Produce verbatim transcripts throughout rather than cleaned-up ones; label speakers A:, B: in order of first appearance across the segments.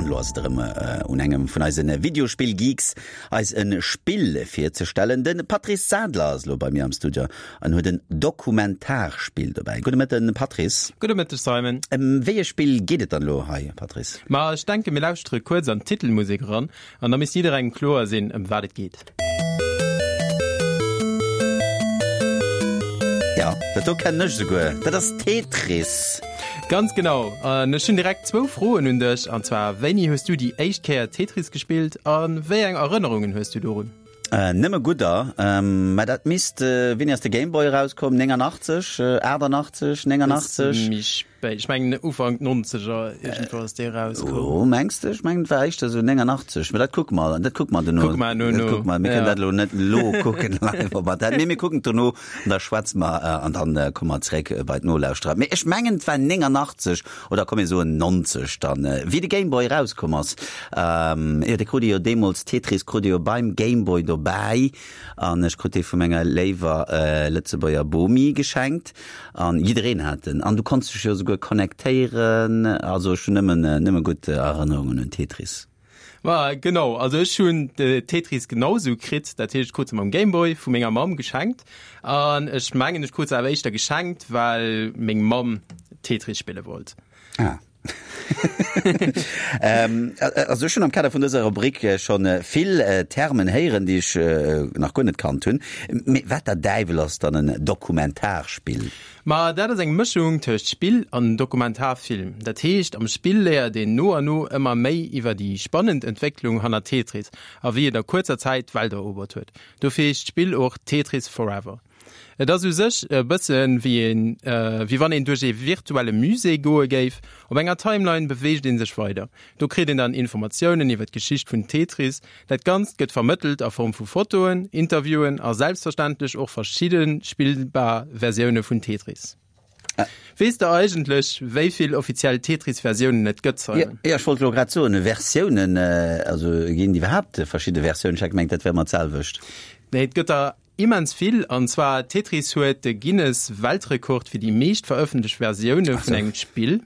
A: An elo ass et erëm un engem vun eise Videospill-Geeks, eis e Spill virzestellen. De Patrice Sadler ass elo bei mir am Studio an huet en Dokumentarspill dobäi. Gudde Mëtten, Patrice.
B: Gudde Mëtteg, Simon.
A: Ëm wéi e Spill geet et dann elo hei, Patrice?
B: Ma ech denken, mir lauschtere kuerz an d'Titelmusek eran an da misst jidderengem kloer sinn, ëm wat et geet.
A: Jo, dat do kennen ech esouguer. Dat ass Tetris.
B: Ganz genau. An ech hunn direkt zwou Froen un dech, an zwar, Wéini hues du déi éischt Kéier Tetris gespillt a wéi eng Erënnerungen hues du dorun?
A: Nëmme gudder. Mä dat misst, wéini ass de Game Boy erauskomm? néngannachtzeg, aachtannachtzeg, néngannachtzeg?
B: Méi spéit. Ech mengen Ufank Nonzeger iergendwou ass dee erauskomm.
A: Oh, mengs de? Ech mengen et war éischter esou néngannachtzeg. Mä dat kucke mer, dat kucke mer dono.
B: Kucke mer dono.
A: Dat kucke mer. Mir kënnen dat elo net elo kucken live op Antenne. Mee mir kucken et dono an da schwätze mer an dann komme mer zeréck bei d'Nolauschterer. Mee ech mengen et war néngannachtzeg oder komm mir soen nonzeg dann, wéi de Game Boy erauskomm ass. Jo, dee krut ee jo deemools, Tetris krut ee jo beim Game Boy dobäi an ech krut dee vu menger léiwer Lëtzebuerger Bomi geschenkt an jiddereen hat en an du konns dech jo esouguer connectéieren. Also ech hunn nëmmen, nëmme gutt Erënnerungen un Tetris.
B: Ma genau, also ech hunn de Tetris genau sou kritt, dat heescht ech krut se mam Game Boy vu menger Mamm geschenkt an ech mengen ech krut se awer éischter geschenkt well meng Mamm Tetris spille wollt.
A: Ah. Also ech hunn am Kader vun dëser Rubrik schonn vill Termen héieren, déi ech nach guer net kannt hunn. Mee wat der Däiwel ass dann en Dokumentarspill?
B: Ma dat ass eng Mëschung tëscht Spill an Dokumentarfilm. Dat heescht, am Spill léiert een no an no ëmmer méi iwwer déi spannend Entwécklung hanner Tetris a wéi et a kuerzer Zäit d'Welt erobert huet. Dofir heescht d'Spill och Tetris Forever. Et ass u sech e bësse wéi een, wéi wann een duerch ee virtuelle Musée goe géif. Op enger Timeline beweegt ee sech weider. Do kritt een dann Informatiounen iwwer d'Geschicht vun Tetris. Dat Ganzt gëtt vermëttelt a Form vu Fotoen, Interviewen a selbstverständlech och verschidde spillbar Versioune vun Tetris. Weess de eigentlech, wéi vill offiziell Tetris-Versiounen et gëtt, Simon?
A: Jo, ech wollt elo grad soen, Versiounen, also ginn et iwwerhaapt verschidde Versiounen? Ech hat gemengt, dat wär ëmmer d'selwecht.
B: Nee, et gëtt der Immens vill, an zwar Tetris huet de Guinness Weltrekord fir déi meescht verëffentlecht Versioune vun engem Spill.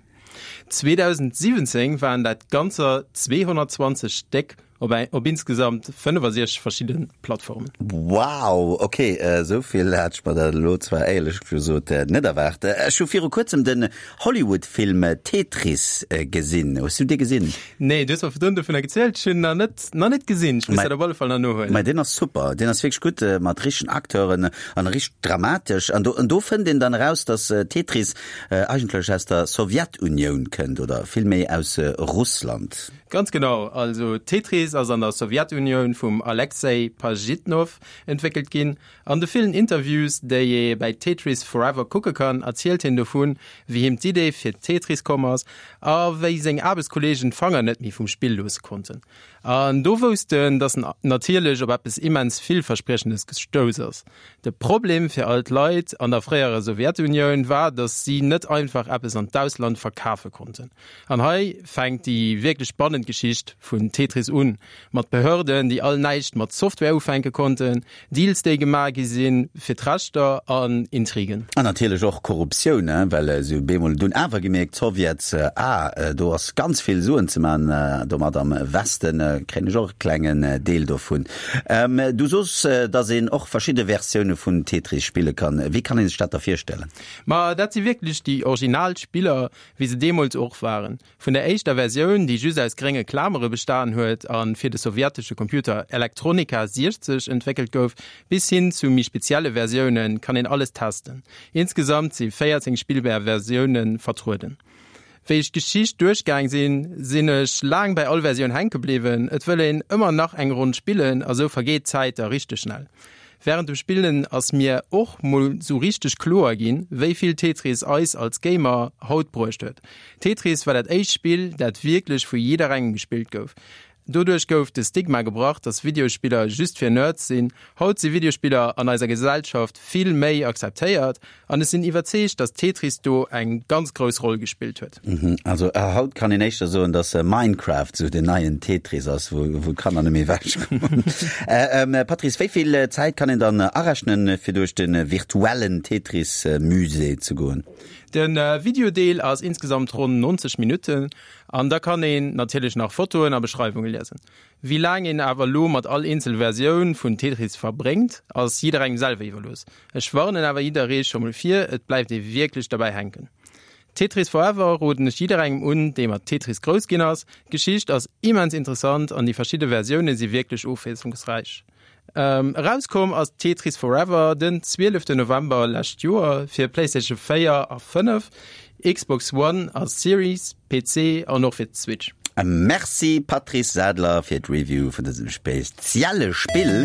B: zweedausendsiwwenzéng waren dat ganzer zweehonnertzwanzeg Stéck op op insgesamt fënnefasechzeg verschidde Plattformen.
A: Wow, ok, esou vill hat ech mer dat elo zwar éierlech gesot net erwaart. Ech hu viru kuerzem den Hollywood-Film Tetris gesinn. Hues du dee gesinn?
B: Nee, du hues mer virdrun dovunner gezielt, ech hunn nach net nach net gesinn. Ech muss dat op alle Fall nach nohuelen.
A: Mä deen ass super, deen ass wierklech gutt, mat richtegen Acteuren an richteg dramatesch. An do, an do fënnt een dann eraus, dass Tetris eigentlech aus der Sowjetunioun kënnt oder villméi aus Russland.
B: Ganz genau, also Tetris ass an der Sowjetunioun vum Alexei Pajitnov entwéckelt ginn. An de villen Interviews, déi ee bäi Tetris Forever kucke kann, erzielt hien dovun, wéi him d'Idee fir Tetris komm ass a wéi seng Aarbechtskolleegen d'Fanger net méi vum Spill loosse konnten. An do wousst en, dass en natierlech op eppes immens Villverspriechendes gestouss ass. De Problem fir all d'Leit an der fréierer Sowjetunioun war, dass si net einfach eppes an d'Ausland verkafe konnten. An hei fänkt déi wierklech spannend Geschicht vun Tetris un, mat Behörden, déi all näischt mat Software ufänke konnten, Deals, déi gemaach gi sinn fir d'Rechter an Intrigen.
A: An natierlech och Korruptioun, well se hu bemol dunn awer gemierkt, d'Sowjets, ah, do ass ganz vill Suen ze man domat, am Westen kréien ech och e klengen Deel dovun. Du sos, dass een och verschidde Versioune vun Tetris spille kann. Wéi kann ee sech dat da virstellen?
B: Ma dat si wierklech déi original Spiller, wéi se deemools och waren. Vun der éischter Versioun, déi just aus grénge Klamere bestan huet a fir de sowjetesche Computer Elektronika siechzeg entwéckelt gouf, bis hin zu méi spezielle Versioune kann een alles testen. Insgesamt si véierzéng spillbar Versioune vertrueden. Wéi ech d'Geschicht duerchgaang sinn, sinn ech laang bäi all Versioun hänke bliwwen. Et wëll een ëmmer nach eng Ronn spillen a sou vergeet d'Zäit da richteg schnell. Wärend dem Spillen ass mir och mol sou richteg kloer ginn, wéi vill Tetris eis als Gamer haut bruecht huet. Tetris war dat éischt Spill, dat wierklech vu jidderengem gespillt gouf. Doduerch gouf de Stigma gebrach, dass Videospiller just fir Nerds sinn. Haut si Videospiller an eiser Gesellschaft vill méi akzeptéiert an ech sinn iwwerzeegt, dass Tetris do eng ganz grouss Roll gespillt huet.
A: Also haut kann een éischter soen, dass Minecraft sou den neien Tetris ass, wou d'Kanner net méi ewech kommen. Patrice, wéi vill Zäit kann een dann arechnen, fir duerch de virtuellen Tetris-Musée ze goen?
B: Den äh, Videodeel ass insgesamt ronn neunzeg Minutten an da kann een natierlech nach Fotoen a Beschreiwunge liesen. Wéi laang een awer lo mat all eenzel Versioun vun Tetris verbréngt, ass jidderengem selwer iwwerlooss. Ech warnen awer jidderee scho mol vir, et bleift ee wierklech derbäi hänken. Tetris Forever roden ech jidderengem un, dee mat Tetris grouss ginn ass. D'Geschicht ass immens interessant an déi verschidde Versioune si wierklech ofwiesslungsräich. Ähm, erauskomm ass Tetris Forever den zwieleften November lescht Joer fir PlayStation véier a fënnef, Xbox One a Series, P C an och fir d'Switch.
A: Merci Patrice Sadler fir d'Review vun dësem spezielle Spill.